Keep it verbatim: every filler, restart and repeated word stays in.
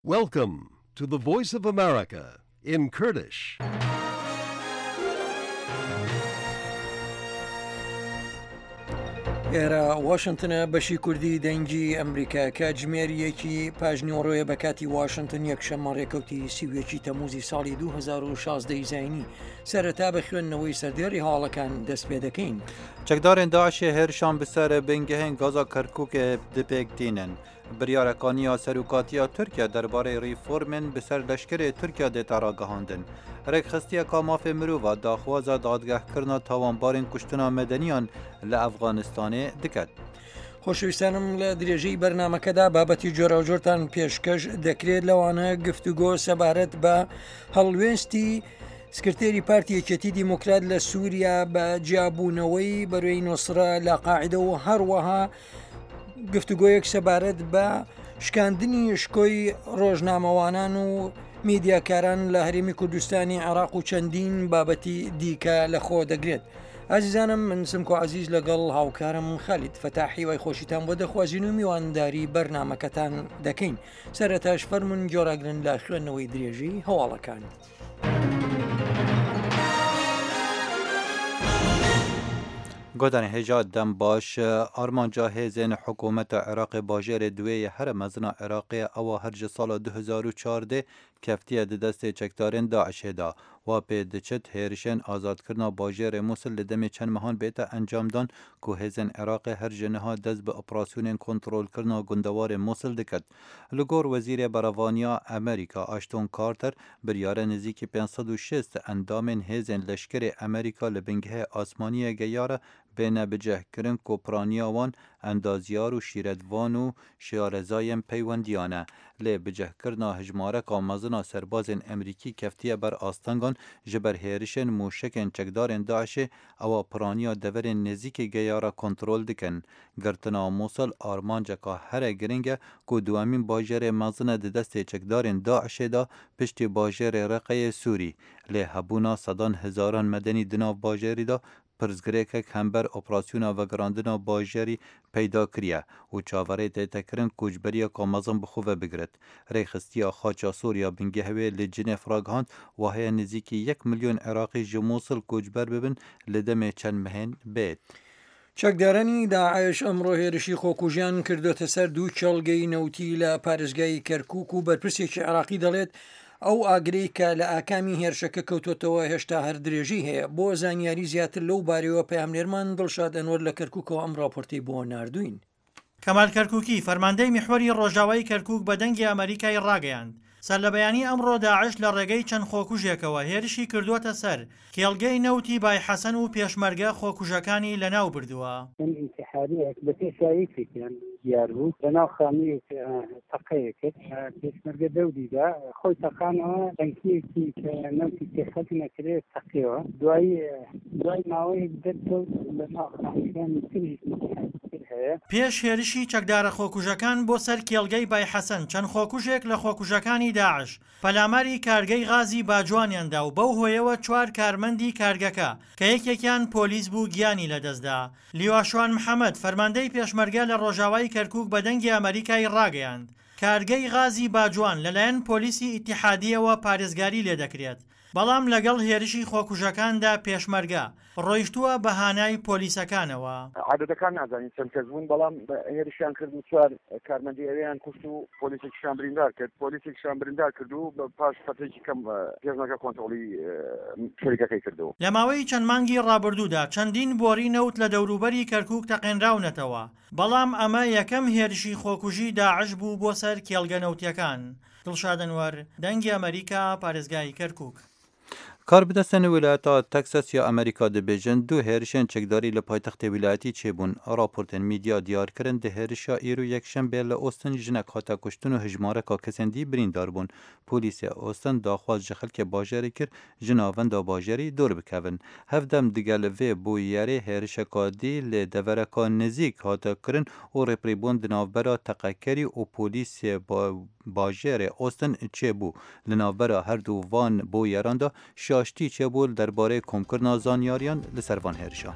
Welcome to the Voice of America in Kurdish. ئێرە واشنتنە بەشی کوردی دەنگی ئەمریکا کاتژمێر یەکی پاژنیوەڕۆیە بە کاتی واشنتن یەکشەممە ڕێکەوتی سی و یەکی تەموزی ساڵی دوو هەزار و شازدە ی زایینی سەرەتا بە خوێندنەوەی سەردێڕی هەواڵەکان دەست پێ دەکەین. چەکدارên داعشê hêrişan bi ser bingehên gaza Kerkûkê dipêk tînin. Biryareka serokatiya Tirkiye derbarê reformên bi ser leşkerê Tirkiye dê ragihandin. Rêkxistiyeka mafê mirova daxwaza dadgehkirina tawanbarên kuştina medeniyan li Efxanistanê diket. خۆشەویستانم لە درێژەی بەرنامەکەدا بابەتی جۆراوجۆرتان پێشکەش دەکرێت لەوانە گفتوگۆ سەبارەت بە هەڵوێستی سکرتێری پارتی یەکێتی دیموکرات لە سووریا بە جیابوونەوەی بەروێی نوسرە لە قاعدە و هەروەها گفتوگۆیەک سەبارەت بە شکاندنی شکۆی ڕۆژنامەوانان و میدیاکاران لە هەرێمی کوردستانی عێراق و چەندین بابەتی دیکە لەخۆ دەگرێت. ئازیزانم من سمکۆ عەزیز لەگەڵ هاوکارم خالید فەتاحی وای خۆشیتان بۆ دەخوازین و میوانداری بەرنامەکەتان دەکەین. سەرەتاش فەرمونون گۆڕاگرن لە خوێندنەوەی درێژی هەواڵەکان. گۆدان هێژا دەم باش ئارمانجا هێزên حکوومەتە عێراقê bajêrê duwê here mezina Iraqê ewa her ji sala du hezar û çardeh keftiye di destê çekdarên Daişê da. Wa pê diçit hêrişên azadkirina bajêrê Mûsil li demê çend mehan bête encamdan ku hêzên Iraqê her ji niha dest bi operasyonên kontrolkirina gundewarê Mûsil diket. Li gor Wezîrê Berevaniya Amerîka Ashton Carter biryara nêzîkî pênc sed û şêst endamên hêzên leşkerê Amerîka li bingehê asmaniyê geyare bêne bicihkirin ku piraniya wan endazyar û şîretvan û şarezayên peywendiyan e. Lê bicihkirina hejmareka mezina serbazên Amerîkî keftiye ber astengan ji ber hêrişên mûşekên çekdarên Daişê ewa piraniya deverên nêzîkê geyara kontrol dikin. Girtina Mûsil armanceka here giring e ku duwemîn bajêrê mezin e di destê çekdarên Daişê de piştî bajêrê Reqeyê Sûrî. Lê hebûna sedan hezaran medenî di nav bajêrî de pirsgirêkek hember operasyona vegerandina bajêrî peyda kiriye û çaverê tê tekirin koçberiyeka mezin bi xwe ve bigirit. Rêxistiya Xaça Sor ya bingehê li Cinêv ragihand waheye nêzîkî yek milyon Iraqî ji Mûsil koçber bibin li demê çend mehên bêt. چەکدارانی داعش ئەمڕۆ هێرشی خۆکوژیان کردوتە سەر دوو کێڵگەی نەوتی لە پارێزگای کەرکوک و بەرپرسێکی عێراقی دەڵێت ئەو ئاگرەی کە لە ئاکامی هێرشەکە کەوتوتەوە هێشتا هەر درێژی هەیە. بۆ زانیاری زیاتر لەو بارەوە پەیامنێرمان دڵشاد ئەنوەر لە کەرکوکەوە ئەم راپۆرتەی بۆ ناردوین. کەمال کەرکوکی فەرماندەی میحوەری ڕۆژاوای کەرکوک بە دەنگی ئەمریکای ڕاگەیاند سەر لە بەیانی ئەمڕۆ داعش لە ڕێگەی چەند خۆکوژێکەوە هێرشی کردووەتە سەر کێڵگەی نەوتی بای حەسەن و پێشمەرگە خۆکوژەکانی لەناو بردووە. ئینتیحاریەک بە پێشاییەکیان دیار بوو لەناو خانوویەک تەقەیە کرد، پێشمەرگە دەوریدا خۆی تەقانەوە تەنکیەکی کە نەوتی تێخەت نەکرێت تەقیەوە. دوای دوای ماوەیەک دەرکەوت لەناو خانووەکانی تریش ئینتیحاری هەیە. پێش هێرشی چەکدارە خۆکوژەکان بۆ سەر کێڵگەی بای حەسەن چەند خۆکوژێک لە خۆکوژەکانی داعش پەلاماری کارگەی غازی باجوانیاندا و بەو هۆیەوە چوار کارمەندی کارگەکە کە یەکێکیان پۆلیس بوو گیانی لەدەستدا. لیواشوان محەممەد فەرماندەی پێشمەرگە لە ڕۆژاوای کەرکوک بە دەنگی ئەمریکای ڕاگەیاند کارگەی غازی باجوان لەلایەن پۆلیسی ئیتیحادیەوە پارێزگاری لێدەکرێت، بەڵام لەگەڵ هێرشی خۆکوژەکاندا پێشمەرگە ڕۆیشتووە بە هانای پۆلیسەکانەوە. عادەتەکان نازانین چەند کەس بوون، بەڵام هێرشیان کرد و چوار کارمەندی ئەوێیان کوشت و پۆلیسێکیشیان بریندار کرد پۆلیسێکیشیان بریندار کرد و پاش فەتێکی کەم پێشمەرگە کۆنترۆڵی شەریکەکەی کردەوە. لە ماوەی چەند مانگی ڕابردوودا چەندین بۆری نەوت لە دەوروبەری کەرکوک تەقێنراونەتەوە، بەڵام ئەمە یەکەم هێرشی خۆکوژی داعش بوو بۆ سەر کێڵگە نەوتیەکان. دڵشاد ئەنوەر، دەنگی ئەمریکا، پارێزگای کەرکوک. کاربەدەستên wîlayeta Teksas ya Amerîka dibêjin du hêrişên çekdarî li paytextê wîlayetî çêbûn. Raportên medya diyar kirin di hêrişa îro yekşembê li Austin jinek hate kuştin û hejmareka kesên dî birîndar bûn. Polîsê Austin daxwaz ji xelkê bajarê kir ji navenda bajarî dûr bikevin. Hevdem digel vê bûyerê hêrişeka dî li devereka nêzîk hate kirin û rêpirîbûn di navbera teqekerî û polîsê bajêrê Austin çêbû. Li navbera her du van bûyeran de şaştî çêbû derbarê komkirina zanyariyan li ser van hêrişan.